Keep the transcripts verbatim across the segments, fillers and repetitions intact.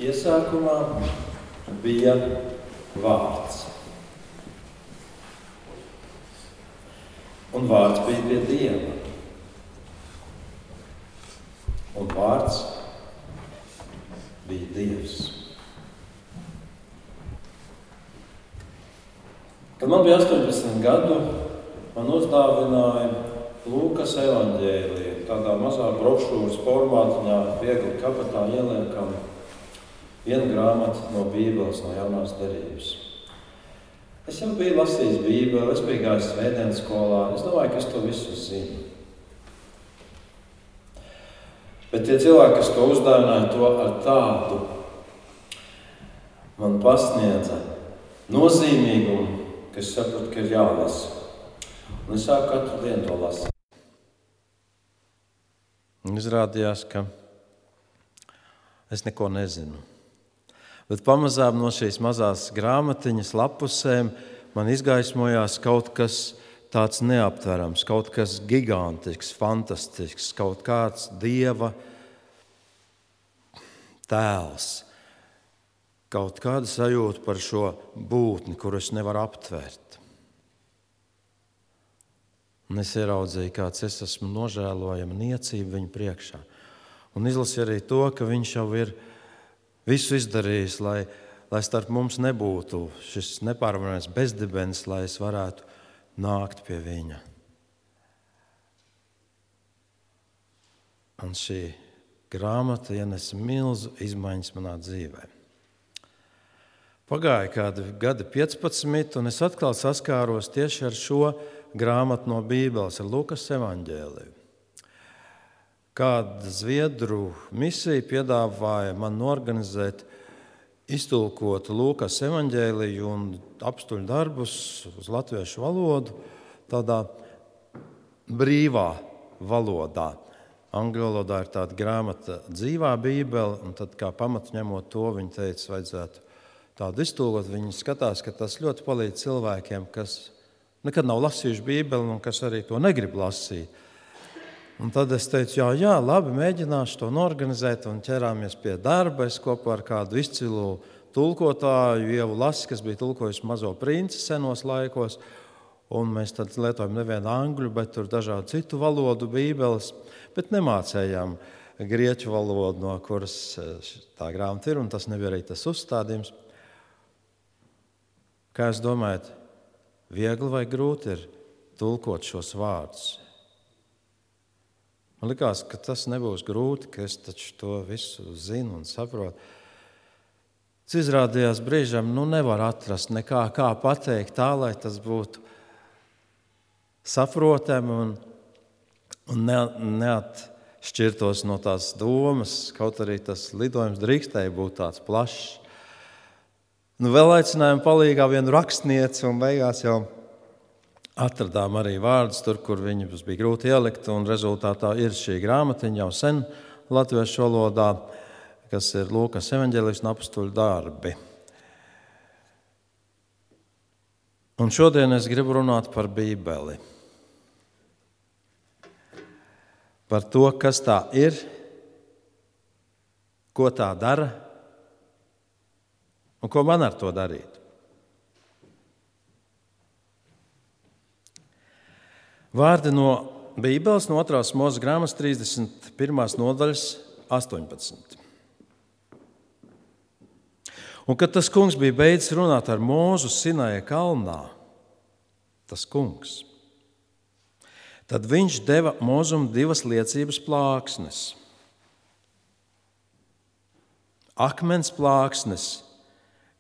Iesākumā bija vārds. Un vārds bija pie Dieva. Un vārds bija Dievs. Kad man bija astoņpadsmit gadu, man uzdāvināja Lūkas evaņģēliju, tādā mazā brošūras formātiņā, viegli kabatā ieliekam vienu grāmatu no Bībeles, no jaunās derības. Es jau biju lasījis Bībeli, es biju gājis svētdienas skolā, es domāju, ka es to visu zinu. Bet tie cilvēki, kas to uzdāvināja, to ar tādu man pasniedza nozīmīgumu, ka es sapratu, ka ir jālasa. Un es sāku katru dienu to lasīt. Izrādījās, ka es neko nezinu. Bet pamazām no šīs mazās grāmatiņas lapusēm man izgaismojās kaut kas tāds neaptverams, kaut kas gigantisks, fantastisks, kaut kāds Dieva tēls, kaut kāda sajūta par šo būtni, kuru es nevaru aptvert. Un es ieraudzīju, kāds es esmu nožēlojama niecība viņa priekšā. Un izlasīju arī to, ka viņš jau ir visu izdarījis, lai, lai starp mums nebūtu šis nepārvaramais bezdibens, lai es varētu nākt pie viņa. Un šī grāmata ienesa milzu izmaiņas manā dzīvē. Pagāja kādi gadi piecpadsmit, un es atkal saskāros tieši ar šo grāmatu no Bībeles, ar Lūkas evaņģēliju. Kāda zviedru misija piedāvāja man norganizēt, iztulkot Lūkas evaņģēliju un apstuļu darbus uz latviešu valodu tādā brīvā valodā. Angļu valodā ir tāda grāmata Dzīvā Bībele, un tad kā pamatu ņemot to, viņi teica, vajadzētu tādu iztulkot. Viņi skatās, ka tas ļoti palīdz cilvēkiem, kas nekad nav lasījuši Bībeli un kas arī to negrib lasīt. Un tad es teicu, jā, jā, labi, mēģināšu to norganizēt, un ķerāmies pie darba. Es kopā ar kādu izcilu tulkotāju, Ievu Lasi, kas bija tulkojusi Mazo princi senos laikos, un mēs tad lietojam nevienu angļu, bet tur dažādu citu valodu Bībeles, bet nemācējām grieķu valodu, no kuras tā grāmata ir, un tas nebija arī tas uzstādījums. Kā jūs domājat, viegli vai grūti ir tulkot šos vārdus? Man likās, ka tas nebūs grūti, ka es taču to visu zinu un saprotu. Tas izrādījās brīžam, nu nevar atrast nekā, kā pateikt tā, lai tas būtu saprotami un, un ne, neatšķirtos no tās domas, kaut arī tas lidojums drīkstēja būt tāds plašs. Nu, vēl aicinājām palīgā vienu rakstnieci, un beigās jau atradām arī vārdus tur, kur viņus bija grūti ielikt, un rezultātā ir šī grāmatiņa jau sen latviešu valodā, kas ir Lūkas evaņģēlijs un apstuļu darbi. Un šodien es gribu runāt par Bībeli. Par to, kas tā ir, ko tā dara, un ko man ar to darīt. Vārdi no Bībeles, no otrās Mūzes grāmatas trīsdesmit pirmās nodaļas astoņpadsmit. Un kad tas kungs bija beidzis runāt ar Mūzu Sinaja kalnā, tas kungs, tad viņš deva Mūzum divas liecības plāksnes. Akmens plāksnes,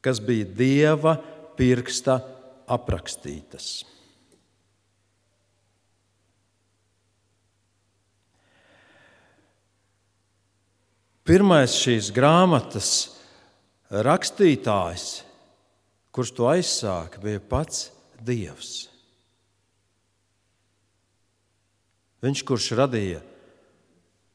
kas bija Dieva pirksta aprakstītas. Pirmais šīs grāmatas rakstītājs, kurš to aizsāka, bija pats Dievs. Viņš, kurš radīja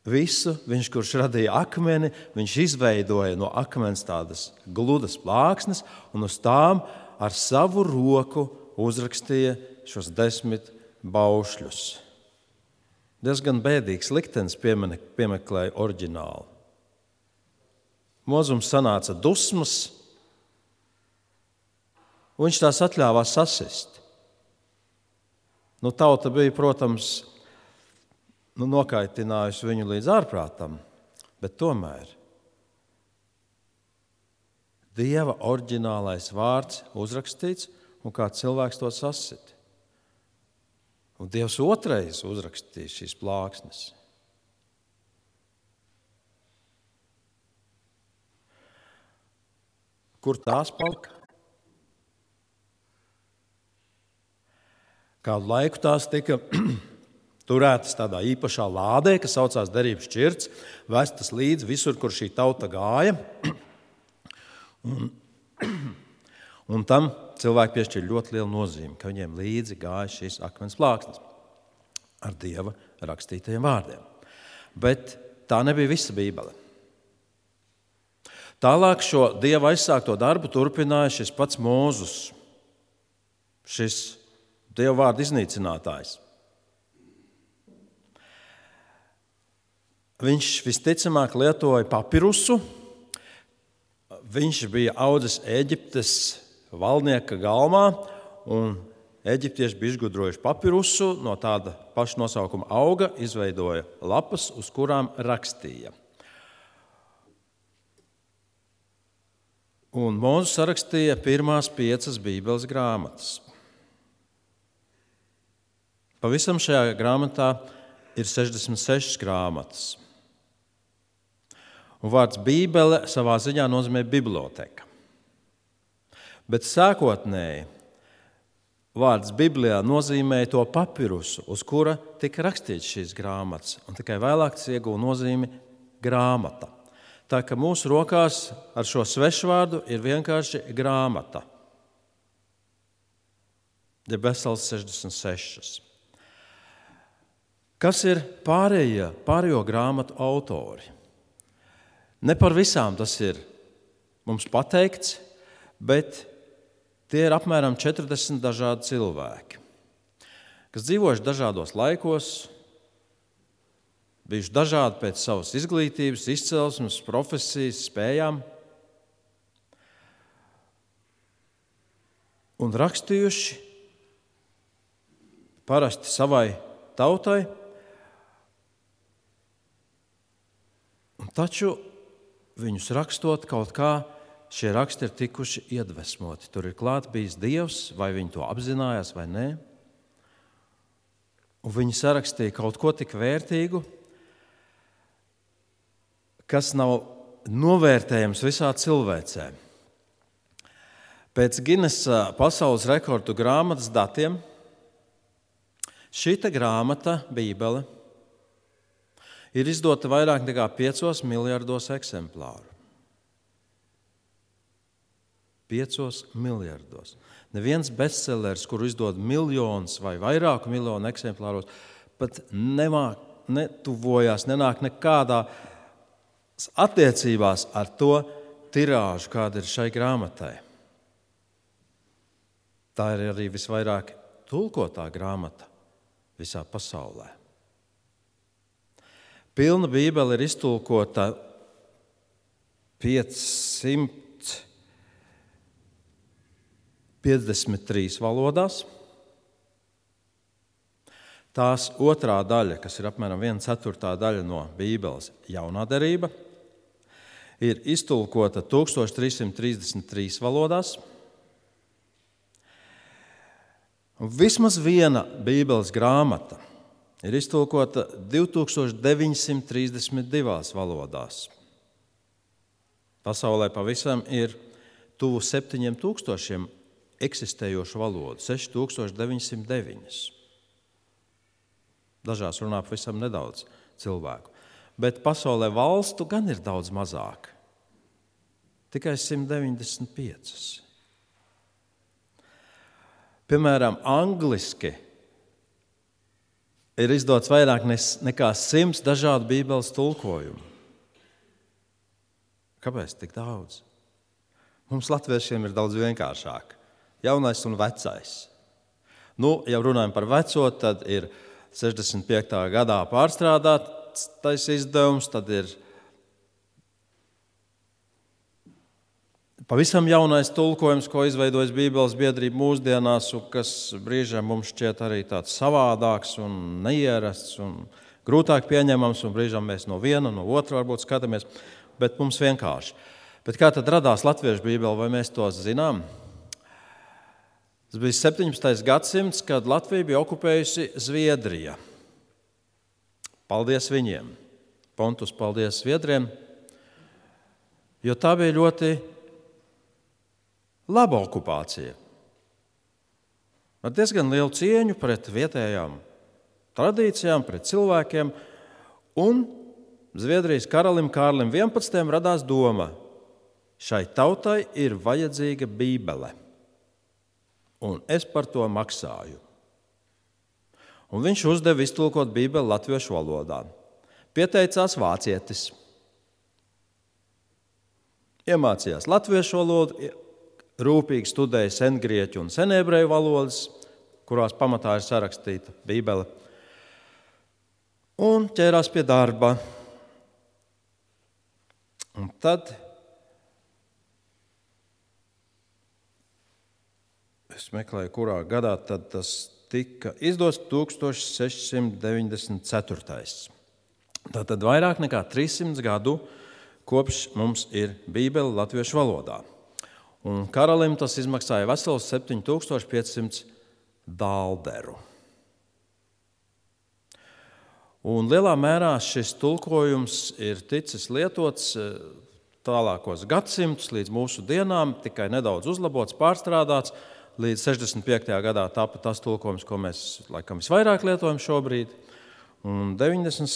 visu, viņš, kurš radīja akmeni, viņš izveidoja no akmens tādas gludas plāksnes un uz tām ar savu roku uzrakstīja šos desmit baušļus. Diezgan bēdīgs liktenis piemeklēja oriģinālu. Mozums sanāca dusmas, un viņš tās atļāvās sasist. Nu, tauta bija, protams, nu, nokaitinājusi viņu līdz ārprātam, bet tomēr Dieva oriģinālais vārds uzrakstīts, un kā cilvēks to sasit. Un Dievs otrais uzrakstīja šīs plāksnes. Kur tās palika? Kādu laiku tās tika turētas tādā īpašā lādē, kas saucās derības šķirts, vestas līdzi visur, kur šī tauta gāja. Un, un tam cilvēki piešķir ļoti lielu nozīmi, ka viņiem līdzi gāja šīs akmens plāksnes ar Dieva rakstītajiem vārdiem. Bet tā nebija visa Bībele. Tālāk šo Dieva aizsākto darbu turpināja šis pats Mūzus, šis Dieva vārdu iznīcinātājs. Viņš visticamāk lietoja papirusu. Viņš bija audzis Ēģiptes valdnieka galmā, un eģiptieši bija izgudrojuši papirusu, no tāda paša nosaukuma auga izveidoja lapas, uz kurām rakstīja. Un Mūzes sarakstīja pirmās piecas Bībeles grāmatas. Pavisam šajā grāmatā ir sešdesmit sešas grāmatas. Un vārds Bībele savā ziņā nozīmē biblioteka. Bet sākotnēji vārds Biblijā nozīmēja to papirusu, uz kura tika rakstīts šīs grāmatas, un tikai vēlāk tas ieguva nozīmi grāmata. Tā ka mūsu rokās ar šo svešvārdu ir vienkārši grāmata. Ir vesels sešdesmit sešas. Kas ir pārējie, pārējo grāmatu autori? Ne par visām tas ir mums pateikts, bet tie ir apmēram četrdesmit dažādi cilvēki, kas dzīvojuši dažādos laikos, bijuši dažādi pēc savas izglītības, izcelsmes, profesijas, spējām un rakstījuši parasti savai tautai, un taču viņus rakstot kaut kā, šie raksti ir tikuši iedvesmoti. Tur ir klāt bijis Dievs, vai viņi to apzinājās vai nē. Un viņi sarakstīja kaut ko tik vērtīgu, kas nav novērtējams visā cilvēcē. Pēc Ginesa pasaules rekordu grāmatas datiem šita grāmata, Bībele, ir izdota vairāk nekā piecos miljardos eksemplāru. Piecos miljardos. Neviens bestsellers, kuru izdod miljonus vai vairāku miljonu eksemplāros, pat nemāk, netuvojās, nenāk nekādā attiecībās ar to tirāžu, kāda ir šai grāmatai. Tā ir arī visvairāk tulkotā grāmata visā pasaulē. Pilna Bībele ir iztulkota piecsimt piecdesmit trīs valodās. Tās otrā daļa, kas ir apmēram viena ceturtā daļa no Bībeles, jaunā derība, ir iztulkota tūkstoš trīssimt trīsdesmit trīs valodās. Un vismaz viena Bībeles grāmata ir iztulkota divi tūkstoši deviņsimt trīsdesmit divās valodās. Pasaulē pavisam ir tuvu septiņiem tūkstošiem eksistējošu valodu, seši tūkstoši deviņsimt deviņas. Dažās runā pavisam nedaudz cilvēku. Bet pasaulē valstu gan ir daudz mazāk. Tikai simt deviņdesmit piecas. Piemēram, angliski ir izdots vairāk nekā simts dažādu Bībeles tulkojumu. Kāpēc tik daudz? Mums latviešiem ir daudz vienkāršāk. Jaunais un vecais. Nu, ja runājam par veco, tad ir sešdesmit piektā gadā pārstrādātais izdevums, tad ir pavisam jaunais tulkojums, ko izveidojas Bībeles biedrība mūsdienās, un kas brīžiem mums šķiet arī tāds savādāks un neierasts un grūtāk pieņemams, un brīžiem mēs no viena, no otra varbūt skatāmies, bet mums vienkārši. Bet kā tad radās latviešu Bībele, vai mēs to zinām? Tas bija septiņpadsmitais gadsimts, kad Latviju bija okupējusi Zviedrija. Paldies viņiem. Pontus, paldies Zviedriem, jo tā bija ļoti laba okupācija. Ar diezgan lielu cieņu pret vietējām tradīcijām, pret cilvēkiem, un Zviedrijas karalim Kārlim vienpadsmitajam radās doma, šai tautai ir vajadzīga Bībele, un es par to maksāju. Un viņš uzdeva iztulkot Bībeli latviešu valodā. Pieteicās vācietis. Iemācījās latviešu valodu, rūpīgi studēja sengrieķu un senebreju valodas, kurās pamatā ir sarakstīta Bībele, un ķērās pie darba. Un tad es meklēju, kurā gadā tad tas tika izdots tūkstoš seši simti deviņdesmit ceturtais. Tātad vairāk nekā trīssimts gadu kopš mums ir Bībele latviešu valodā. Un karalim tas izmaksāja vesels septiņi tūkstoši piecsimt dalderu. Un lielā mērā šis tulkojums ir ticis lietots tālākos gadsimtus līdz mūsu dienām, tikai nedaudz uzlabots, pārstrādāts. Līdz sešdesmit piektajā gadā tapa tas tulkojums, ko mēs laikam visvairāk lietojam šobrīd. Un deviņdesmit,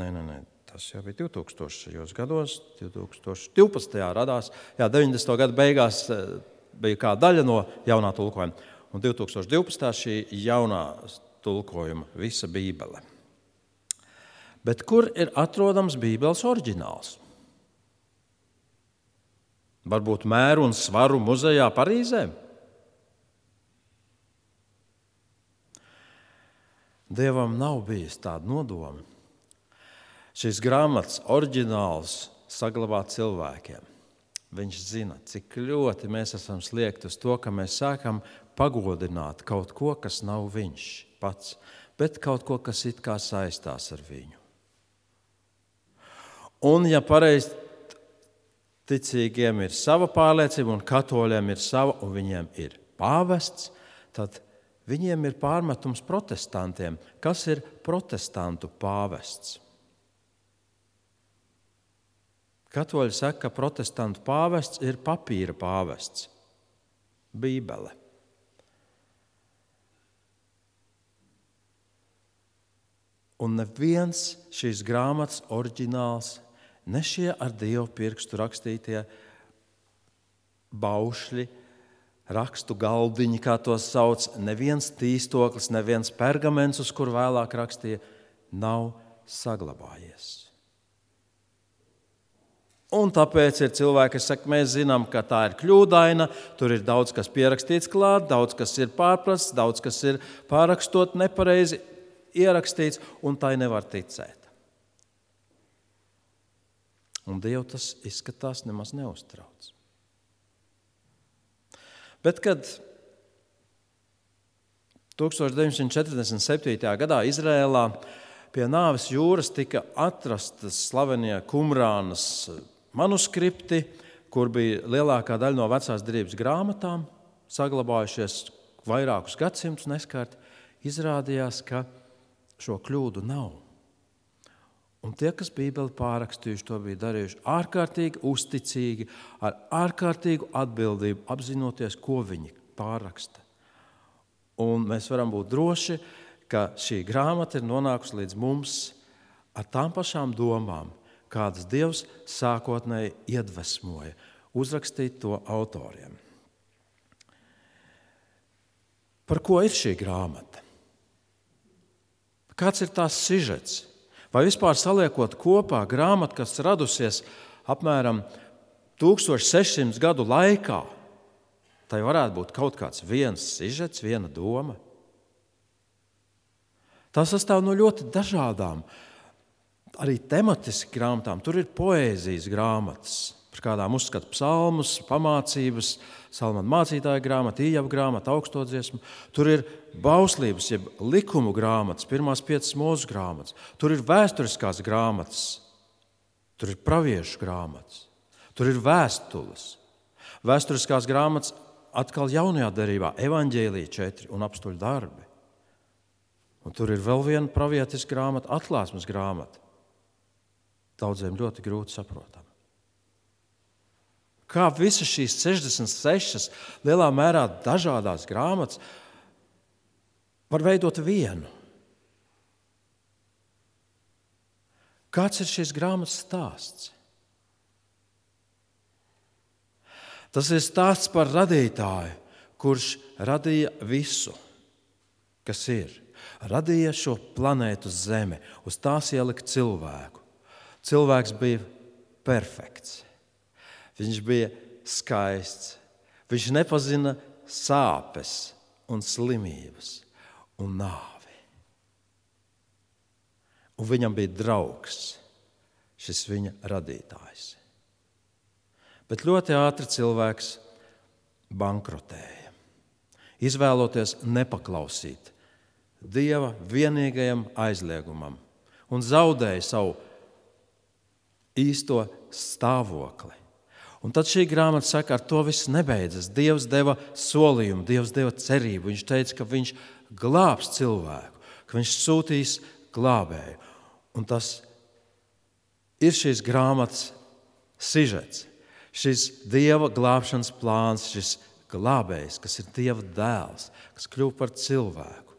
nē, nē, nē, tas jau bija divtūkstošajos gados, divtūkstoš divpadsmitajā radās, jā, deviņdesmito gadu beigās bija kā daļa no jaunā tulkojuma. Un divtūkstoš divpadsmitā šī jaunā tulkojuma visa Bībele. Bet kur ir atrodams Bībeles oriģināls? Varbūt Mēru un Svaru muzejā Parīzē? Dievam nav bijis tāda nodoma. Šīs grāmatas oriģināls saglabāt cilvēkiem. Viņš zina, cik ļoti mēs esam sliekti uz to, ka mēs sākam pagodināt kaut ko, kas nav viņš pats, bet kaut ko, kas it kā saistās ar viņu. Un ja pareizi ticīgiem ir sava pārliecība un katoļiem ir sava un viņiem ir pāvests, tad viņiem ir pārmetums protestantiem. Kas ir protestantu pāvests? Katoļi saka, ka protestantu pāvests ir papīra pāvests, Bībele. Un neviens šīs grāmatas oriģināls, ne šie ar Dievu pirkstu rakstītie baušļi, rakstu galdiņi, kā tos sauc, neviens tīstoklis, neviens pergaments, uz kur vēlāk rakstīja, nav saglabājies. Un tāpēc ir cilvēki, kas saka, mēs zinām, ka tā ir kļūdaina, tur ir daudz, kas pierakstīts klāt, daudz, kas ir pārprasts, daudz, kas ir pārrakstot nepareizi ierakstīts, un tai nevar ticēt. Un Dievu tas izskatās nemaz neuztrauc. Bet, kad tūkstoš deviņsimt četrdesmit septītajā gadā Izrēlā pie Nāves jūras tika atrastas slavenie Kumrānas manuskripti, kur bija lielākā daļa no vecās derības grāmatām, saglabājušies vairākus gadsimtus neskārt, izrādījās, ka šo kļūdu nav. Un tie, kas Bībeli pārrakstījuši, to bija darījuši ārkārtīgi uzticīgi, ar ārkārtīgu atbildību, apzinoties, ko viņi pārraksta. Un mēs varam būt droši, ka šī grāmata ir nonākusi līdz mums ar tām pašām domām, kādas Dievs sākotnēji iedvesmoja uzrakstīt to autoriem. Par ko ir šī grāmata? Kāds ir tās sižets? Vai vispār saliekot kopā grāmatu, kas radusies apmēram tūkstoš sešsimt gadu laikā, tai varētu būt kaut kāds viens sižets, viena doma? Tā sastāv no ļoti dažādām, arī tematiski grāmatām. Tur ir poēzijas grāmatas, Par kādām uzskata psalmus, pamācības, Salmana mācītāja grāmata, Ījaba grāmata, augstodziesma. Tur ir bauslības, jeb likumu grāmatas, pirmās piecas mūzu grāmatas. Tur ir vēsturiskās grāmatas, tur ir praviešu grāmatas, tur ir vēstules. Vēsturiskās grāmatas atkal jaunajā derībā, evaņģēlija četri un apstuļu darbi. Un tur ir vēl viena pravietiska grāmata, atklāsmes grāmata. Daudziem ļoti grūti saprotama. Kā visas šīs sešdesmit sešas lielā mērā dažādās grāmatas var veidot vienu? Kāds ir šīs grāmatas stāsts? Tas ir stāsts par radītāju, kurš radīja visu, kas ir. Radīja šo planētu Zeme, uz tās ielika cilvēku. Cilvēks bija perfekts. Viņš bija skaists. Viņš nepazina sāpes un slimības un nāvi. Un viņam bija draugs, šis viņa radītājs. Bet ļoti ātri cilvēks bankrotēja, izvēloties nepaklausīt Dieva vienīgajam aizliegumam un zaudēja savu īsto stāvokli. Un tad šī grāmata saka, ar to viss nebeidzas. Dievs deva solījumu, Dievs deva cerību. Viņš teica, ka viņš glābs cilvēku, ka viņš sūtīs glābēju. Un tas ir šīs grāmatas sižets, šis Dieva glābšanas plāns, šis glābējs, kas ir Dieva dēls, kas kļuva par cilvēku,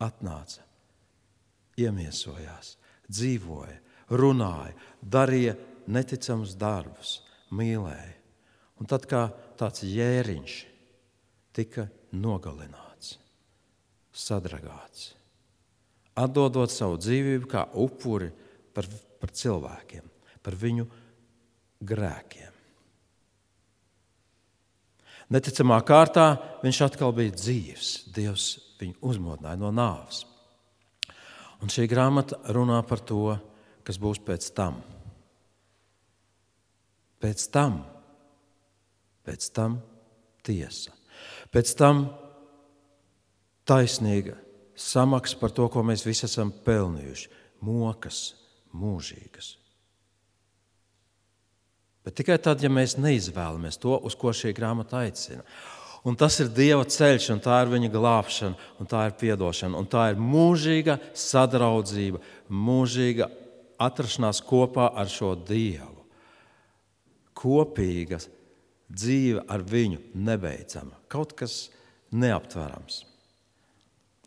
atnāca, iemiesojās, dzīvoja, runāja, darīja neticamus darbus, mīlēja. Un tad kā tāds jēriņš tika nogalināts, sadragāts, atdodot savu dzīvību kā upuri par, par cilvēkiem, par viņu grēkiem. Neticamā kārtā viņš atkal bija dzīvs. Dievs viņu uzmodināja no nāves. Un šī grāmata runā par to, kas būs pēc tam. Pēc tam, pēc tam tiesa. Pēc tam taisnīga samaksa par to, ko mēs visi esam pelnījuši. Mokas mūžīgas. Bet tikai tad, ja mēs neizvēlamies to, uz ko šī grāmata aicina. Un tas ir Dieva ceļš, un tā ir viņa glābšana, un tā ir piedošana, un tā ir mūžīga sadraudzība, mūžīga atrašanās kopā ar šo Dievu. Kopīga dzīve ar viņu nebeidzama, kaut kas neaptverams.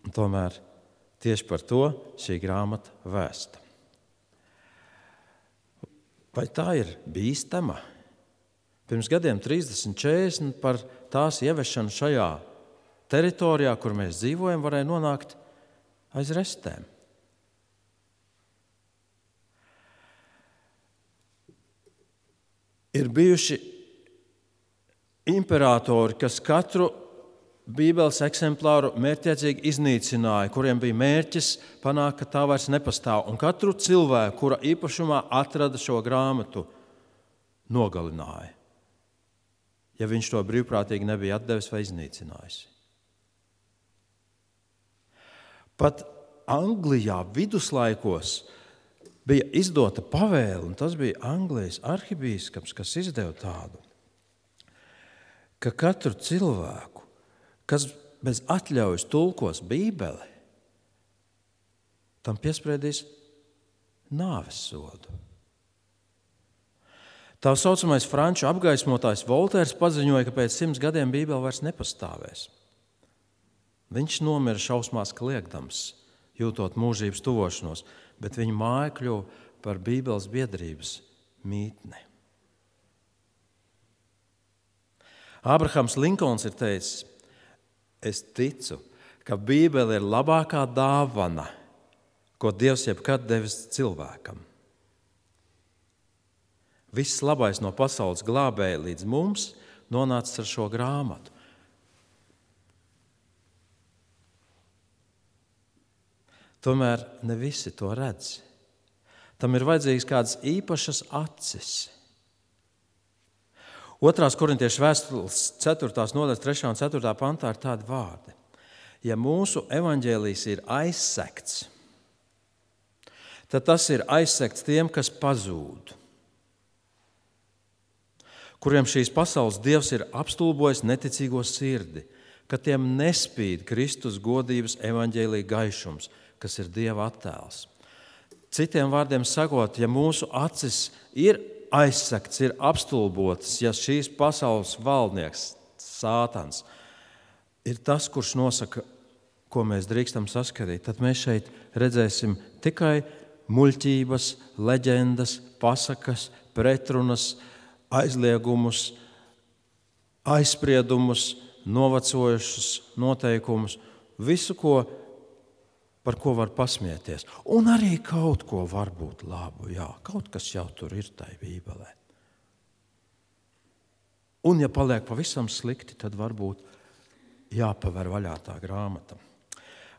Un tomēr tieši par to šī grāmata vēsta. Vai tā ir bīstama? Pirms gadiem trīsdesmit, četrdesmit par tās ieviešanu šajā teritorijā, kur mēs dzīvojam, varēja nonākt aiz restēm. Ir bijuši imperatori, kas katru Bībeles eksemplāru mērķtiecīgi iznīcināja, kuriem bija mērķis panākt, ka tā vairs nepastāv. Un katru cilvēku, kura īpašumā atrada šo grāmatu, nogalināja, ja viņš to brīvprātīgi nebija atdevis vai iznīcinājis. Pat Anglijā viduslaikos bija izdota pavēle, un tas bija Anglijas arhibīskaps, kas izdeva tādu, ka katru cilvēku, kas bez atļaujas tulkos Bībeli, tam piespriedīs nāves sodu. Tā saucamais franču apgaismotājs Voltērs paziņoja, ka pēc simts gadiem Bībele vairs nepastāvēs. Viņš nomira šausmās kliegdams, jūtot mūžības tuvošanos, bet viņa māja kļuva par Bībeles biedrības mītni. Ābrahams Linkolns ir teicis, es ticu, ka Bībele ir labākā dāvana, ko Dievs jebkad devis cilvēkam. Viss labais no pasaules glābēja līdz mums nonācis ar šo grāmatu. Tomēr ne visi to redz. Tam ir vajadzīgas kādas īpašas acis. Otrās korintiešu vēstules ceturtās nodaļas trešā un ceturtā pantā ir tādi vārdi. Ja mūsu evaņģēlijs ir aizsekts, tad tas ir aizsekts tiem, kas pazūd, kuriem šīs pasaules dievs ir apstulbojis neticīgo sirdi, ka tiem nespīd Kristus godības evaņģēlija gaišums, kas ir Dieva attēls. Citiem vārdiem sakot, ja mūsu acis ir aizsekts, ir apstulbotas, ja šīs pasaules valdnieks, Sātans, ir tas, kurš nosaka, ko mēs drīkstam saskatīt, tad mēs šeit redzēsim tikai muļķības, leģendas, pasakas, pretrunas, aizliegumus, aizspriedumus, novecojušus noteikumus, visu, ko, par ko var pasmieties. Un arī kaut ko varbūt labu, jā, kaut kas jau tur ir tai Bībelē. Un ja paliek pavisam slikti, tad varbūt jāpaver vaļā tā grāmata.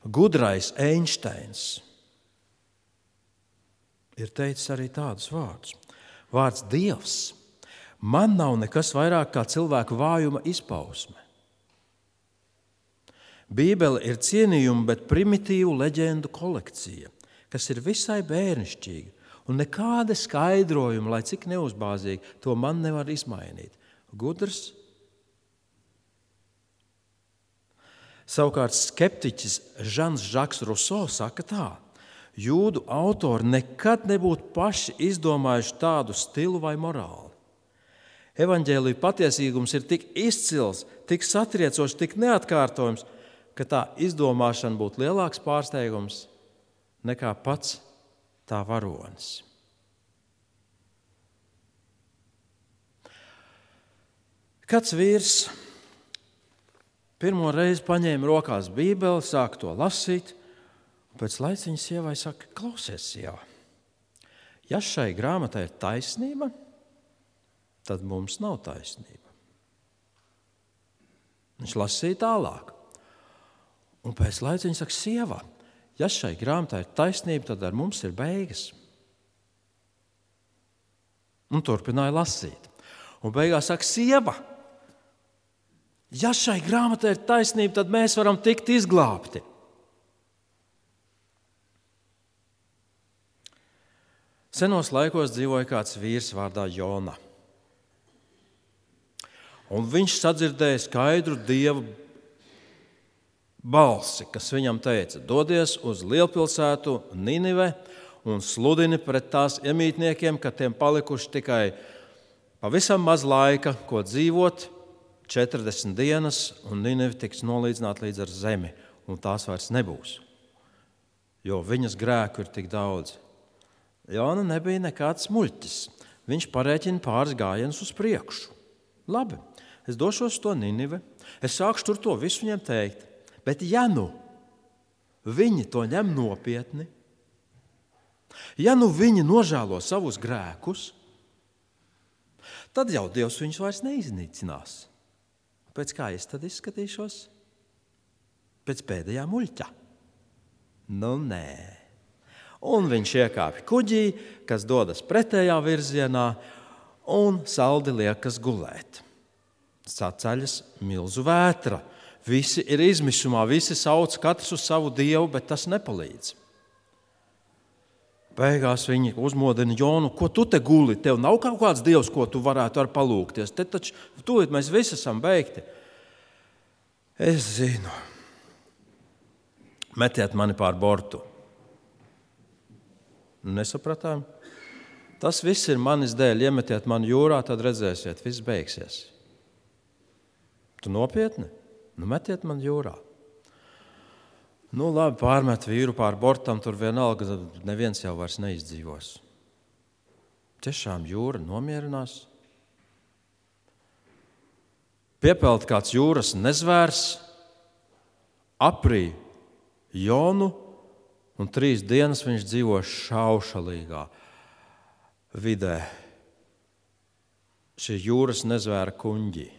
Gudrais Einsteins ir teicis arī tādus vārdus. Vārds Dievs man nav nekas vairāk kā cilvēku vājuma izpausme. Bībele ir cienījuma, bet primitīvu leģendu kolekcija, kas ir visai bērnišķīga, un nekāda skaidrojuma, lai cik neuzbāzīgi, to man nevar izmainīt. Gudrs. Savukārt skeptiķis Žans Žaks Ruso saka tā: jūdu autori nekad nebūtu paši izdomājuši tādu stilu vai morāli. Evaņģēlija patiesīgums ir tik izcils, tik satriecošs, tik neatkārtojams, ka tā izdomāšana būtu lielāks pārsteigums nekā pats tā varonis. Kāds vīrs pirmo reizi paņēma rokās Bībeli, sāk to lasīt, un pēc laiciņa sievai saka: klausies, sieva, ja šai grāmatai ir taisnība, tad mums nav taisnība. Viņš lasīja tālāk. Un pēc laiciņa saka: sieva, ja šai grāmatai ir taisnība, tad ar mums ir beigas. Un turpināja lasīt. Un beigās saka: sieva, ja šai grāmatai ir taisnība, tad mēs varam tikt izglābti. Senos laikos dzīvoja kāds vīrs vārdā Jona. Un viņš sadzirdēja skaidru Dieva balsi, kas viņam teica: dodies uz lielpilsētu Ninive un sludini pret tās iemītniekiem, ka tiem palikuši tikai pavisam maz laika, ko dzīvot, četrdesmit dienas, un Ninive tiks nolīdzināta līdz ar zemi, un tās vairs nebūs, jo viņas grēku ir tik daudz. Jona nebija nekāds muļķis. Viņš parēķina pāris gājienus uz priekšu. Labi, es došos uz to Ninive, es sākšu tur to visu viņiem teikt. Bet ja nu viņi to ņem nopietni, ja nu viņi nožēlo savus grēkus, tad jau Dievs viņus vairs neiznīcinās. Pēc kā es tad izskatīšos? Pēc pēdējā muļķa. Nu, nē. Un viņš iekāpj kuģī, kas dodas pretējā virzienā, un saldi liekas gulēt. Saceļas milzu vētra. Visi ir izmisumā, visi sauc katrs uz savu dievu, bet tas nepalīdz. Beigās viņi uzmodina Jonu: ko tu te guli? Tev nav kaut kāds dievs, ko tu varētu ar palūgties? Te taču tūlīt mēs visi esam beigti. Es zinu. Metiet mani pār bortu. Nesapratām? Tas viss ir manis dēļ. Iemetiet mani jūrā, tad redzēsiet, viss beigsies. Tu nopietni? Nu, metiet man jūrā. Nu, labi, pārmet vīru pār bortam, tur vienalga, neviens jau vairs neizdzīvos. Tiešām jūra nomierinās. Piepeld kāds jūras nezvērs, aprī Jonu, un trīs dienas viņš dzīvo šaušalīgā vidē. Šie jūras nezvēra kuņģi.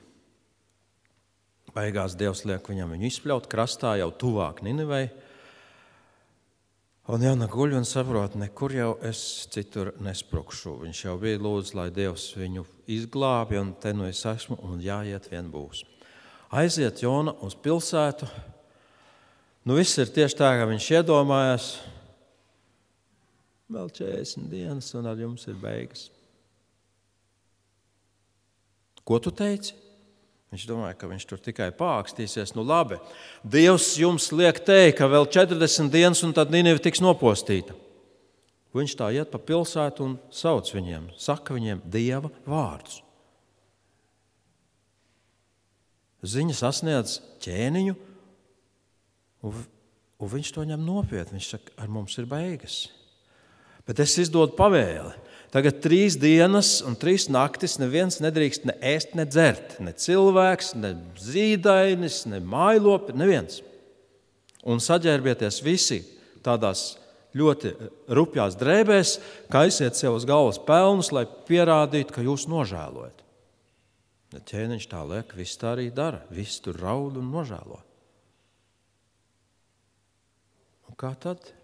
Beigās Dievs liek viņam viņu izpļaut krastā jau tuvāk Ninivei. Un Jana guļ un saprot, nekur jau es citur nesprukšu. Viņš jau bija lūdzu, lai Dievs viņu izglābi, un te nu es esmu, un jāiet vien būs. Aiziet Jona uz pilsētu. Nu viss ir tieši tā, kā viņš iedomājās. Vēl četrdesmit dienas, un ar jums ir beigas. Ko tu teici? Viņš domāja, ka viņš tur tikai pākstīsies. Nu labi, Dievs jums liek teikt, ka vēl četrdesmit dienas, un tad Ninive tiks nopostīta. Viņš tā iet pa pilsētu un sauc viņiem, saka viņiem Dieva vārdus. Ziņa sasniedz ķēniņu, un, un viņš to ņem nopietni. Viņš saka, ar mums ir beigas. Bet es izdodu pavēli. Tagad trīs dienas un trīs naktis neviens nedrīkst ne ēst, ne dzert. Ne cilvēks, ne zīdainis, ne mājlopi, neviens. Un saģērbieties visi tādās ļoti rupjās drēbēs, kaisiet sev uz galvas pelnus, lai pierādītu, ka jūs nožēlojat. Ja ķēniņš tā liek, viss tā arī dara. Viss tur raud un nožēlo. Un kā tad?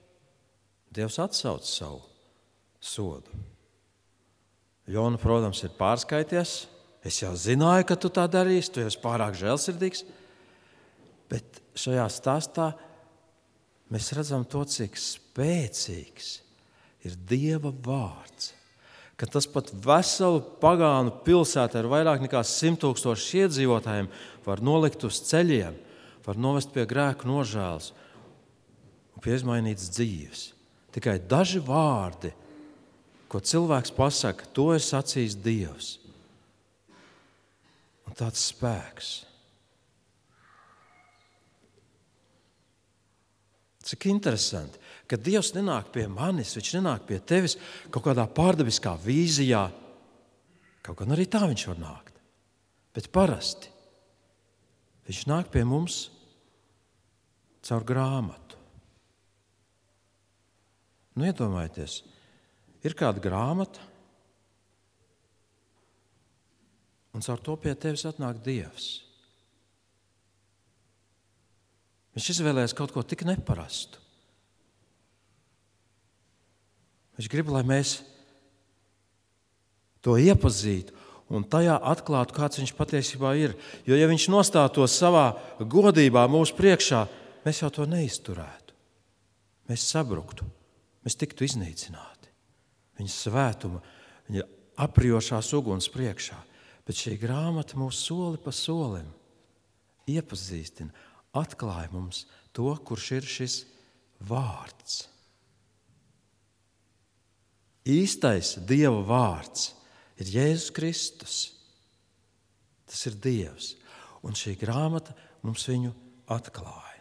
Dievs atsauc savu sodu. Jona, protams, ir pārskaities. Es jau zināju, ka tu tā darīsi, tu esi pārāk žēlsirdīgs. Bet šajā stāstā mēs redzam to, cik spēcīgs ir Dieva vārds. Ka tas pat veselu pagānu pilsētu ar vairāk nekā simt tūkstošu iedzīvotājiem var nolikt uz ceļiem, var novest pie grēku nožēlas un pie izmainītas dzīves. Tikai daži vārdi, ko cilvēks pasaka, to ir sacījis Dievs. Un tāds spēks. Cik interesanti, ka Dievs nenāk pie manis, viņš nenāk pie tevis kaut kādā pārdabiskā vīzijā. Kaut gan arī tā viņš var nākt. Bet parasti viņš nāk pie mums caur grāmatu. Nu, iedomājieties, ir kāda grāmata, un caur to pie tevis atnāk Dievs. Viņš izvēlējās kaut ko tik neparastu. Viņš grib, lai mēs to iepazītu un tajā atklātu, kāds viņš patiesībā ir. Jo, ja viņš nostātos savā godībā mūsu priekšā, mēs jau to neizturētu. Mēs sabruktu, mēs tiktu iznīcināti. Viņa svētuma, viņa aprijošās uguns priekšā. Bet šī grāmata mūs soli pa solim iepazīstina, atklāja mums to, kurš ir šis vārds. Īstais Dieva vārds ir Jēzus Kristus. Tas ir Dievs. Un šī grāmata mums viņu atklāja.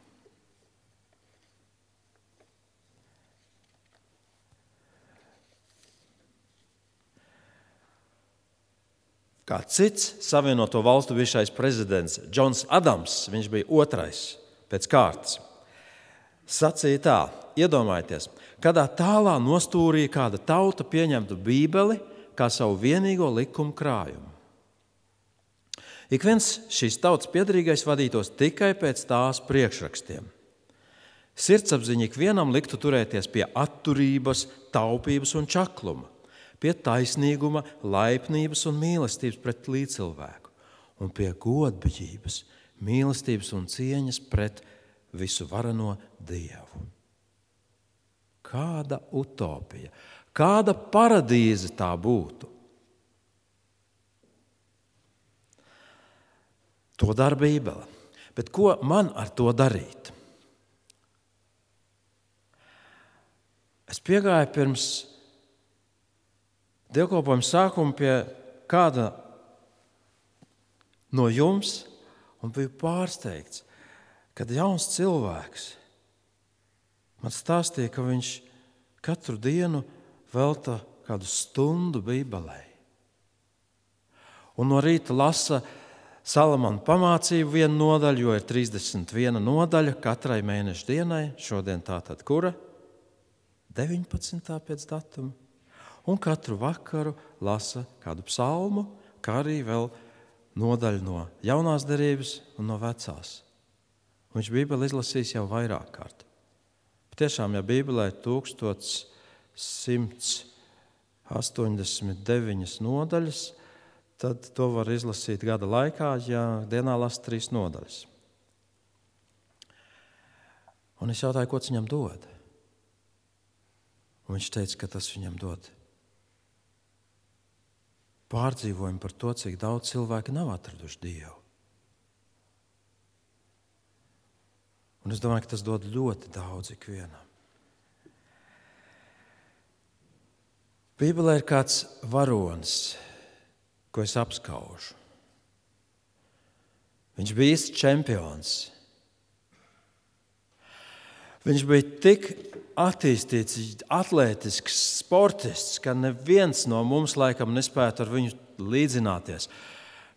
Kā cits Savienoto Valstu bijušais prezidents Džons Adams, viņš bija otrais pēc kārtas, sacīja tā, iedomājieties, kādā tālā nostūrī kāda tauta pieņemtu Bībeli kā savu vienīgo likumu krājumu. Ik viens šīs tautas piederīgais vadītos tikai pēc tās priekšrakstiem. Sirdsapziņa ik vienam liktu turēties pie atturības, taupības un čakluma, pie taisnīguma, laipnības un mīlestības pret līdzcilvēku un pie godbiģības, mīlestības un cieņas pret visu varano Dievu. Kāda utopija, kāda paradīze tā būtu? To dara Bībele. Bet ko man ar to darīt? Es piegāju pirms dievkalpojuma sākuma pie kāda no jums un biju pārsteigts, kad jauns cilvēks man stāstīja, ka viņš katru dienu velta kādu stundu Bībelē. Un no rīta lasa Salamana pamācību vienu nodaļu, jo ir trīsdesmit viena nodaļa katrai mēneša dienai. Šodien tā tad kura? deviņpadsmitā pēc datuma. Un katru vakaru lasa kādu psalmu, kā arī vēl nodaļu no jaunās derības un no vecās. Viņš Bībeli izlasīs jau vairāk kārt. Tiešām, ja Bībelē ir tūkstoš simts astoņdesmit deviņas nodaļas, tad to var izlasīt gada laikā, ja dienā lasa trīs nodaļas. Un es jautāju, ko tas viņam dod? Un viņš teica, ka tas viņam dod pārdzīvojumu par to, cik daudz cilvēki nav atraduši Dievu. Un es domāju, ka tas dod ļoti daudz ikvienam. Bībelē ir kāds varonis, ko es apskaužu. Viņš bija īsts čempions. Viņš bija tik attīstīts, atlētisks sportists, ka neviens no mums laikam nespētu ar viņu līdzināties.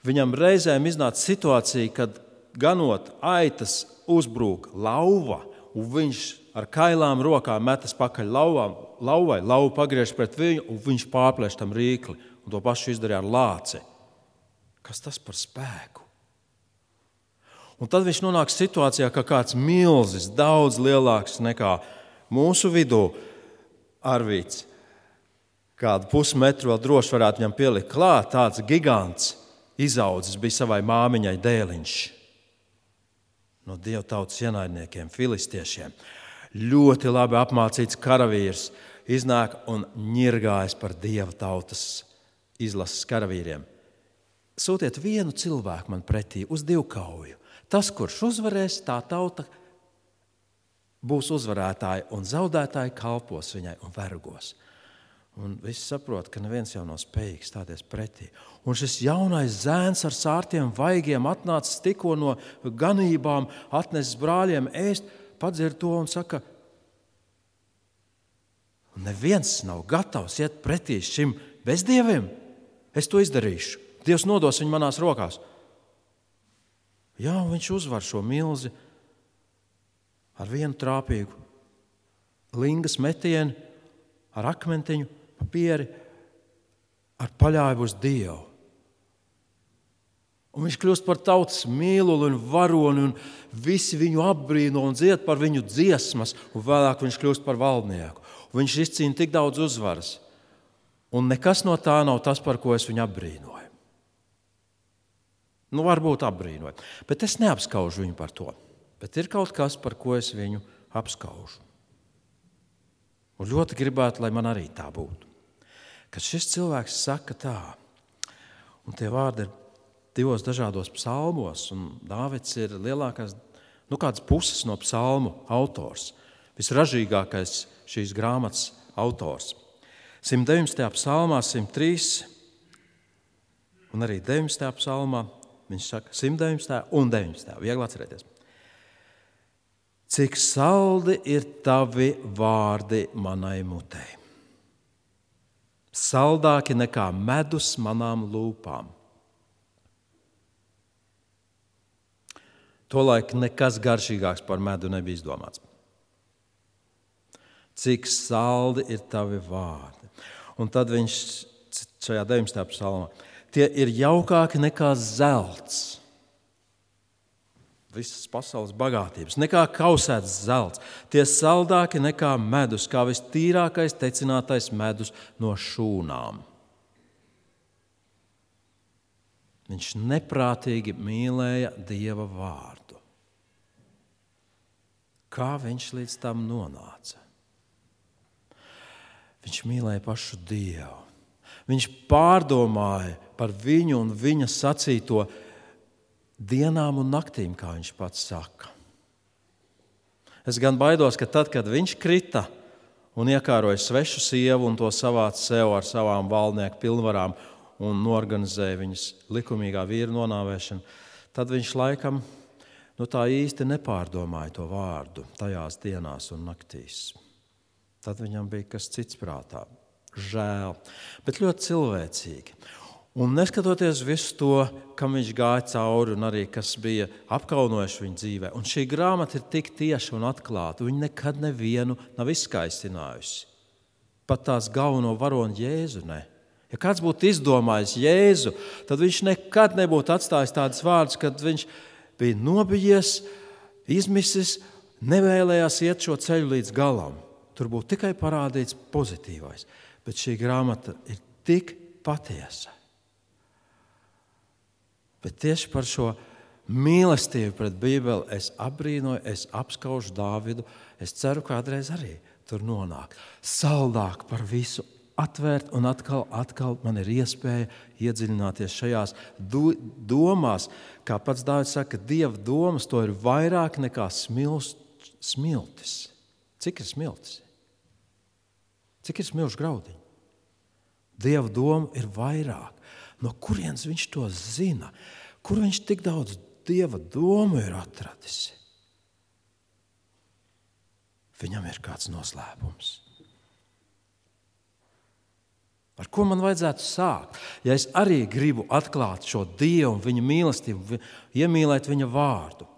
Viņam reizēm iznāca situācija, kad ganot aitas uzbrūk lauva, un viņš ar kailām rokām metas pakaļ lauvām, lauvai, lauva pagriež pret viņu, un viņš pārplēš tam rīkli, un to pašu izdarīja ar lāci. Kas tas par spēku? Un tad viņš nonāk situācijā, ka kāds milzis, daudz lielāks nekā mūsu vidū Arvīts, kādu pusmetru vēl droši varētu viņam pielikt klāt, tāds gigants izaudzis bija savai māmiņai dēliņš no Dieva tautas ienaidniekiem, filistiešiem. Ļoti labi apmācīts karavīrs iznāk un ņirgājas par Dieva tautas izlases karavīriem. Sūtiet vienu cilvēku man pretī uz divkauju. Tas, kurš uzvarēs, tā tauta būs uzvarētāji, un zaudētāji kalpos viņai un vergos. Un visi saprot, ka neviens jau nav spējīgs stāties pretī. Un šis jaunais zēns ar sārtiem vaigiem atnācis tikko no ganībām, atnesis brāļiem ēst, padzird to un saka, neviens nav gatavs iet pretī šim bezdieviem. Es to izdarīšu. Dievs nodos viņu manās rokās. Jā, un viņš uzvar šo milzi ar vienu trāpīgu lingas metienu, ar akmentiņu, papieri, ar paļāju uz Dievu. Un viņš kļūst par tautas mīluli un varoni, un visi viņu apbrīno un dzied par viņu dziesmas, un vēlāk viņš kļūst par valdnieku. Un viņš izcīna tik daudz uzvaras, un nekas no tā nav tas, par ko es viņu apbrīnoju. Nu, varbūt apbrīnoju, bet es neapskaužu viņu par to. Bet ir kaut kas, par ko es viņu apskaužu. Un ļoti gribētu, lai man arī tā būtu. Kad šis cilvēks saka tā, un tie vārdi ir divos dažādos psalmos, un Dāvids ir lielākās, nu kādas puses no psalmu autors, visražīgākais šīs grāmatas autors. simt deviņdesmitajā psalmā, simt trīs, un arī deviņdesmitajā psalmā, viņš saka simt deviņdesmitajā un deviņdesmitajā, viegli atcerēties. Cik saldi ir tavi vārdi manai mutei. Saldāki nekā medus manām lūpām. Tolaik nekas garšīgāks par medu nebija izdomāts. Cik saldi ir tavi vārdi. Un tad viņš šajā deviņdesmitajā psalmā. Tie ir jaukāki nekā zelts. Visas pasaules bagātības, nekā kausēts zelts. Tie saldāki nekā medus, kā vistīrākais tecinātais medus no šūnām. Viņš neprātīgi mīlēja Dieva vārdu. Kā viņš līdz tam nonāca? Viņš mīlēja pašu Dievu. Viņš pārdomāja par viņu un viņa sacīto dienām un naktīm, kā viņš pats saka. Es gan baidos, ka tad, kad viņš krita un iekāroja svešu sievu un to savāca sev ar savām valdnieku pilnvarām un norganizēja viņas likumīgā vīra nonāvēšanu, tad viņš laikam nu, tā īsti nepārdomāja to vārdu tajās dienās un naktīs. Tad viņam bija kas cits prātā. Žēl, bet ļoti cilvēcīgi. Un neskatoties visu to, kam viņš gāja cauri un arī kas bija apkaunojuši viņa dzīvē. Un šī grāmata ir tik tieša un atklāta. Viņa nekad nevienu nav izskaistinājusi. Pat tās galveno varoni Jēzu ne. Ja kāds būtu izdomājis Jēzu, tad viņš nekad nebūtu atstājis tādas vārdus, kad viņš bija nobijies, izmisis, nevēlējās iet šo ceļu līdz galam. Tur būtu tikai parādīts pozitīvais. Bet šī grāmata ir tik patiesa. Bet tieši par šo mīlestību pret Bībeli es apbrīnoju, es apskaužu Dāvidu. Es ceru, kādreiz arī tur nonāk. Saldāk par visu atvērt, un atkal, atkal man ir iespēja iedziļināties šajās do, domās. Kā pats Dāvids saka, Dieva domas to ir vairāk nekā smilst, smiltis. Cik ir smiltis? Cik ir smilšu graudiņi? Dieva doma ir vairāk. No kurienes viņš to zina? Kur viņš tik daudz Dieva domu ir atradis? Viņam ir kāds noslēpums. Ar ko man vajadzētu sākt? Ja es arī gribu atklāt šo Dievu un viņa mīlestību, iemīlēt viņa vārdu.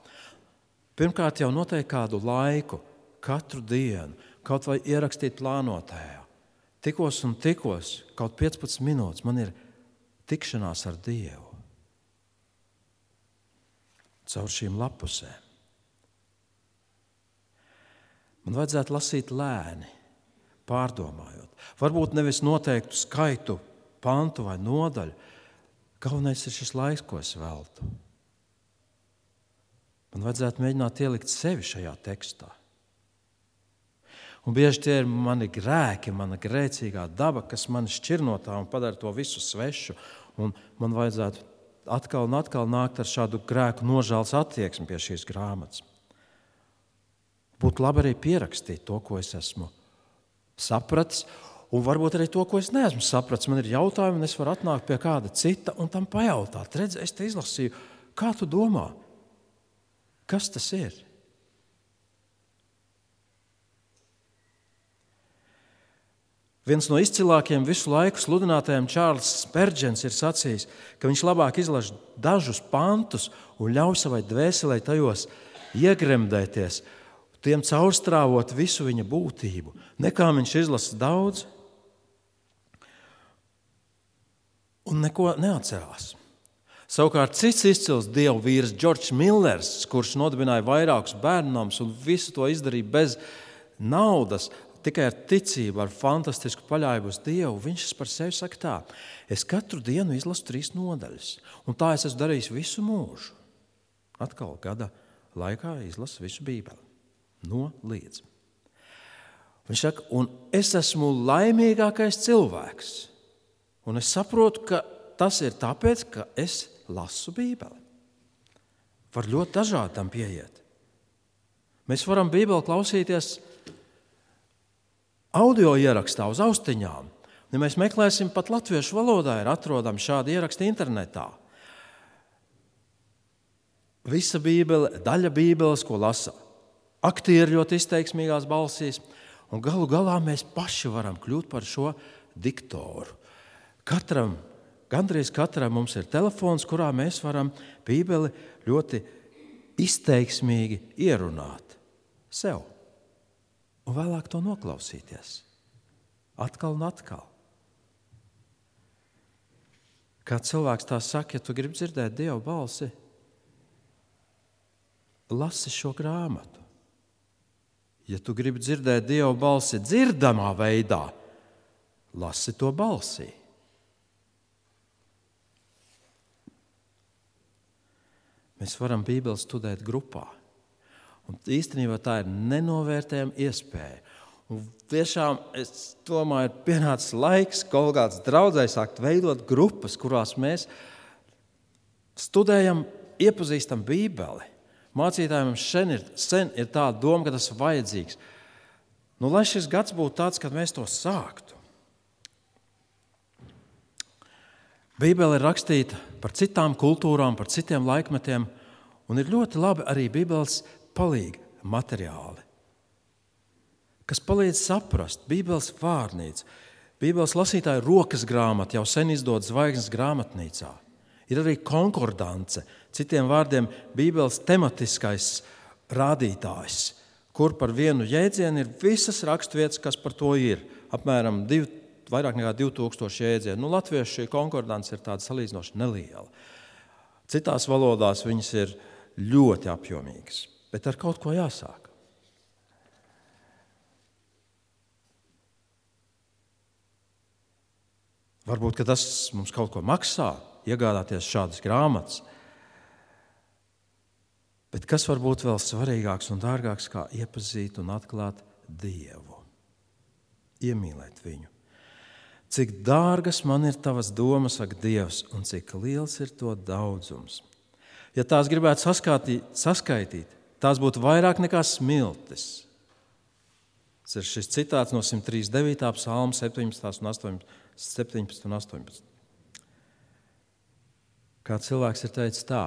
Pirmkārt jau noteikti kādu laiku, katru dienu, kaut vai ierakstīt plānotājā. Tikos un tikos, kaut piecpadsmit minūtes, man ir tikšanās ar Dievu. Caur šīm lapusēm. Man vajadzētu lasīt lēni, pārdomājot. Varbūt nevis noteiktu skaitu, pantu vai nodaļu. Galvenais ir šis laiks, ko es veltu. Man vajadzētu mēģināt ielikt sevi šajā tekstā. Un bieži tie ir mani grēki, mana grēcīgā daba, kas mani šķir no tā un padara to visu svešu. Un man vajadzētu atkal un atkal nākt ar šādu grēku nožēlas attieksmi pie šīs grāmatas. Būtu labi arī pierakstīt to, ko es esmu sapratis, un varbūt arī to, ko es neesmu sapratis. Man ir jautājumi, un es varu atnākt pie kāda cita un tam pajautāt. Redz, es te izlasīju, kā tu domā? Kas tas ir? Viens no izcilākajiem visu laiku sludinātajiem Čārls Sperdžens ir sacījis, ka viņš labāk izlaiž dažus pantus un ļauj savai dvēselē tajos iegremdēties, tiem caurstrāvot visu viņa būtību, nekā viņš izlasa daudz un neko neatcerās. Savukārt cits izcils dievu vīrs Džordžs Millers, kurš nodibināja vairākus bērnnamus un visu to izdarīja bez naudas, tikai ar ticību, ar fantastisku paļāvību uz Dievu, viņš par sevi saka tā: es katru dienu izlasu trīs nodaļas, un tā es esmu darījis visu mūžu. Atkal gada laikā izlasu visu Bībeli. No līdz. Viņš saka, un es esmu laimīgākais cilvēks. Un es saprotu, ka tas ir tāpēc, ka es lasu Bībeli. Var ļoti dažādi tam pieiet. Mēs varam Bībeli klausīties audio ierakstā uz austiņām. Ja mēs meklēsim, pat latviešu valodā ir atrodami šādi ieraksti internetā. Visa Bībele, daļa Bībeles, ko lasa aktieri ļoti izteiksmīgās balsīs, un galu galā mēs paši varam kļūt par šo diktoru. Katram, gandrīz katram mums ir telefons, kurā mēs varam Bībeli ļoti izteiksmīgi ierunāt sev. Un vēlāk to noklausīties. Atkal un atkal. Kā cilvēks tā saka, ja tu gribi dzirdēt Dieva balsi, lasi šo grāmatu. Ja tu gribi dzirdēt Dieva balsi dzirdamā veidā, lasi to balsī. Mēs varam Bībeli studēt grupā. Un īstenībā tā ir nenovērtējama iespēja. Un tiešām, es domāju, ir pienācis laiks kaut kāds draudzēs sākt veidot grupas, kurās mēs studējam, iepazīstam Bībeli. Mācītājiem sen ir, sen ir tāda doma, ka tas ir vajadzīgs. Nu, lai šis gads būtu tāds, kad mēs to sāktu. Bībele ir rakstīta par citām kultūrām, par citiem laikmetiem, un ir ļoti labi arī Bībeles palīgi materiāli, kas palīdz saprast Bībeles vārnīcu. Bībeles lasītāju rokas grāmata jau sen izdod Zvaigznes grāmatnīcā. Ir arī konkordance, citiem vārdiem Bībeles tematiskais rādītājs, kur par vienu jēdzienu ir visas raksturvietas, kas par to ir. Apmēram div, vairāk nekā divi tūkstoši jēdzienu. Nu, latviešu šī konkordance ir tāda salīdzinoši neliela. Citās valodās viņas ir ļoti apjomīgas. Bet ar kaut ko jāsāk. Varbūt, ka tas mums kaut ko maksā, iegādāties šādas grāmatas. Bet kas var būt vēl svarīgāks un dārgāks, kā iepazīt un atklāt Dievu? Iemīlēt viņu. Cik dārgas man ir tavas domas, saka Dievs, un cik liels ir to daudzums. Ja tās gribētu saskatīt, saskaitīt, tās būtu vairāk nekā smiltis. Tas ir šis citāts no simt trīsdesmit devītā psalma septiņpadsmitais un astoņpadsmitais. Kā cilvēks ir teicis tā,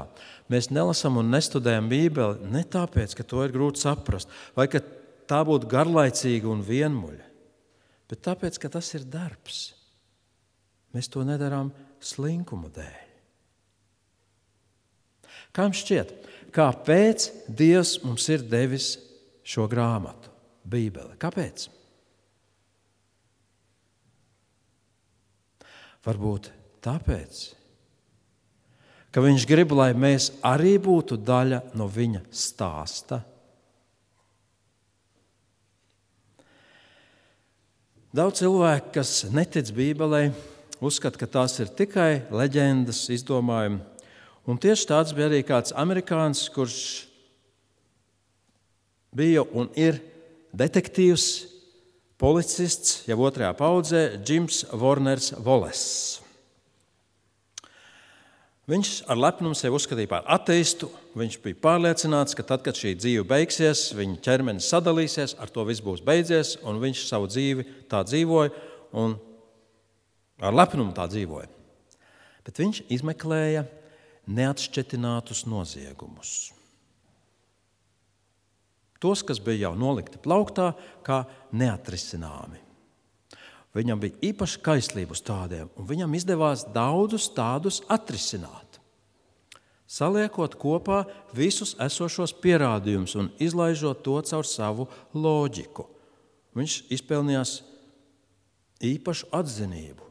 mēs nelasām un nestudējam Bībeli ne tāpēc, ka to ir grūti saprast, vai ka tā būtu garlaicīga un vienmuļa, bet tāpēc, ka tas ir darbs. Mēs to nedarām slinkuma dēļ. Kā jums šķiet, kāpēc Dievs mums ir devis šo grāmatu, Bībeli? Kāpēc? Varbūt tāpēc, ka viņš grib, lai mēs arī būtu daļa no viņa stāsta. Daudz cilvēku, kas netic Bībelei, uzskata, ka tās ir tikai leģendas izdomājumi. Un tieši tāds bija arī kāds amerikānis, kurš bija un ir detektīvs, policists, jau otrajā paudzē, Džims Warners Wallace. Viņš ar lepnumu sevi uzskatīja par ateistu. Viņš bija pārliecināts, ka tad, kad šī dzīve beigsies, viņa ķermenis sadalīsies, ar to viss būs beidzies, un viņš savu dzīvi tā dzīvoja un ar lepnumu tā dzīvoja. Bet viņš izmeklēja neatšķetinātus noziegumus. Tos, kas bija jau nolikti plauktā, kā neatrisināmi. Viņam bija īpaša kaislība uz tādiem, un viņam izdevās daudzus tādus atrisināt. Saliekot kopā visus esošos pierādījumus un izlaižot to caur savu loģiku. Viņš izpelnījās īpašu atzinību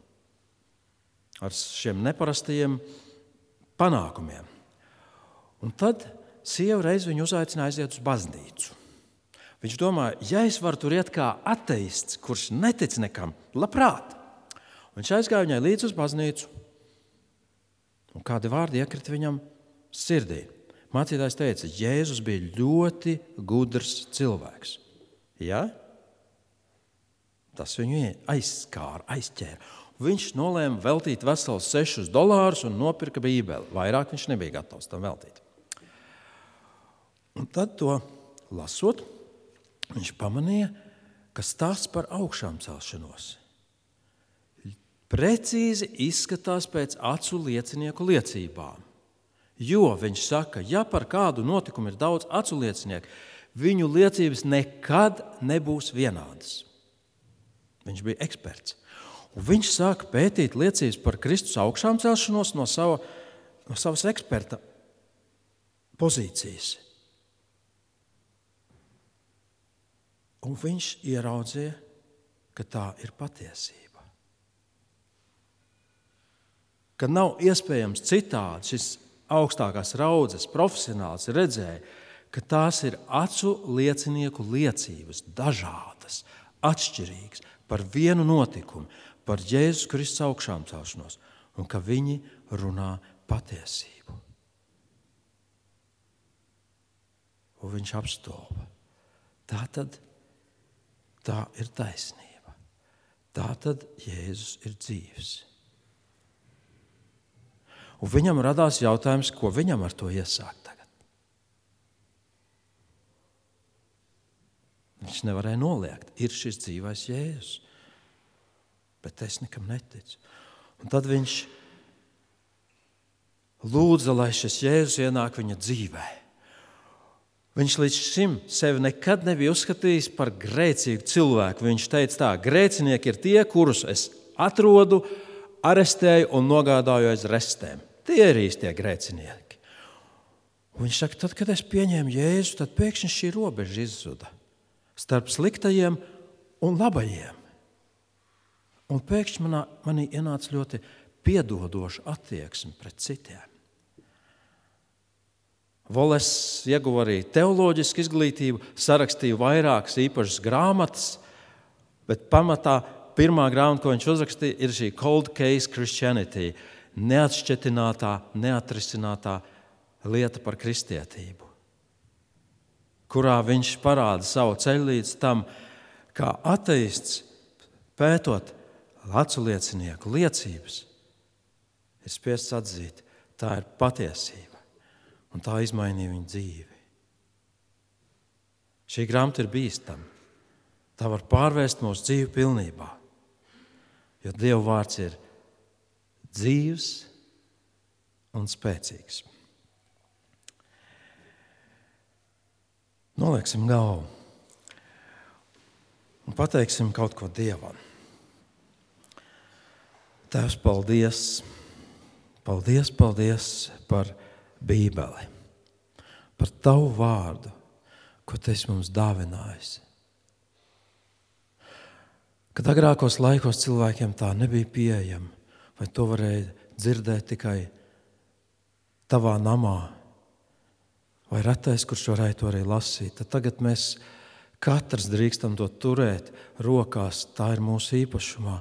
ar šiem neparastajiem panākumiem. Un tad sieva reiz viņu uzaicināja aiziet uz baznīcu. Viņš domāja, ja es varu tur iet kā ateists, kurš netic nekam, labprāt. Viņš aizgāja viņai līdz uz baznīcu, un kādi vārdi iekrita viņam sirdī. Mācītājs teica, Jēzus bija ļoti gudrs cilvēks. Ja? Tas viņu aizskāra, aizķēra. Viņš nolēma veltīt vesels sešus dolārus un nopirka Bībeli. Vairāk viņš nebija gatavs tam veltīt. Un tad to lasot, viņš pamanīja, ka stāsts par augšām celšanos precīzi izskatās pēc acu liecinieku liecībām. Jo viņš saka, ja par kādu notikumu ir daudz acu liecinieku, viņu liecības nekad nebūs vienādas. Viņš bija eksperts. Un viņš sāka pētīt liecības par Kristus augšām celšanos no, sava, no savas eksperta pozīcijas. Un viņš ieraudzīja, ka tā ir patiesība. Ka nav iespējams citādi. Šis augstākās raudzes profesionāls redzēja, ka tās ir acu liecinieku liecības, dažādas, atšķirīgas, par vienu notikumu, par Jēzus Kristus augšām celšanos, un ka viņi runā patiesību. Un viņš apstulba. Tātad tā ir taisnība. Tātad Jēzus ir dzīvs. Un viņam radās jautājums, ko viņam ar to iesākt tagad. Viņš nevarēja noliegt, ir šis dzīvais Jēzus. Bet es nekam neticu. Un tad viņš lūdza, lai šis Jēzus ienāk viņa dzīvē. Viņš līdz šim sevi nekad nebija uzskatījis par grēcīgu cilvēku. Viņš teica tā, grēcinieki ir tie, kurus es atrodu, arestēju un nogādāju aiz restēm. Tie ir īstie grēcinieki. Un viņš saka, tad, kad es pieņēmu Jēzu, tad pēkšņi šī robeža izzuda starp sliktajiem un labajiem. Un pēkšņi manā, manī ienāca ļoti piedodoša attieksme pret citiem. Wallace ieguva arī teoloģisku izglītību, sarakstīja vairākas īpašas grāmatas, bet pamatā pirmā grāmata, ko viņš uzrakstīja, ir šī Cold Case Christianity, neatšķetinātā, neatrisinātā lieta par kristietību, kurā viņš parāda savu ceļu līdz tam, kā ateists, pētot acu liecinieku liecības, ir spiests atzīt, tā ir patiesība, un tā izmainīja viņa dzīvi. Šī grāmata ir bīstama. Tā var pārvērst mūsu dzīvi pilnībā, jo Dieva vārds ir dzīvs un spēcīgs. Nolieksim galvu un pateiksim kaut ko Dievam. Tēvs, paldies, paldies, paldies par Bībeli, par Tavu vārdu, ko Tu esi mums dāvinājis. Kad agrākos laikos cilvēkiem tā nebija pieejama, vai to varēja dzirdēt tikai tavā namā, vai retais, kurš varēja to arī lasīt, tad tagad mēs katrs drīkstam to turēt rokās, tā ir mūsu īpašumā,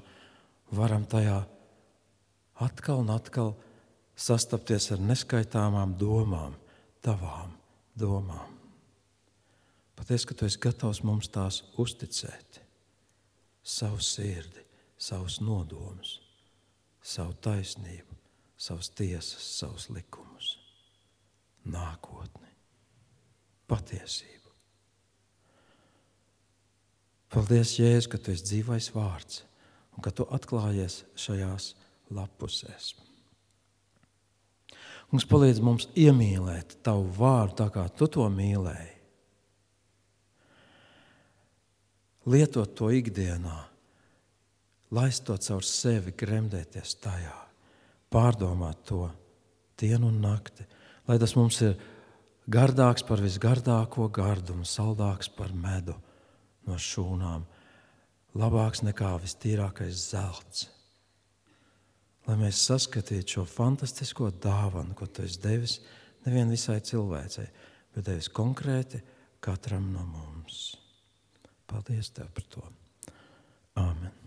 varam tajā atkal un atkal sastapties ar neskaitāmām domām, tavām domām. Patiesi, ka Tu esi gatavs mums tās uzticēt. Savu sirdi, savus nodomus, savu taisnību, savas tiesas, savus likumus, nākotni, patiesību. Paldies, Jēzus, ka Tu esi dzīvais vārds un ka Tu atklājies šajās lapusēs. Mums palīdz mums iemīlēt Tavu vārdu tā, kā Tu to mīlēji. Lietot to ikdienā, laist to caur sevi, gremdēties tajā, pārdomāt to dienu un nakti, lai tas mums ir gardāks par visgardāko gardumu, saldāks par medu no šūnām, labāks nekā vistīrākais zelts. Lai mēs saskatītu šo fantastisko dāvanu, ko Tu esi devis nevien visai cilvēcei, bet devis konkrēti katram no mums. Paldies Tev par to. Āmen.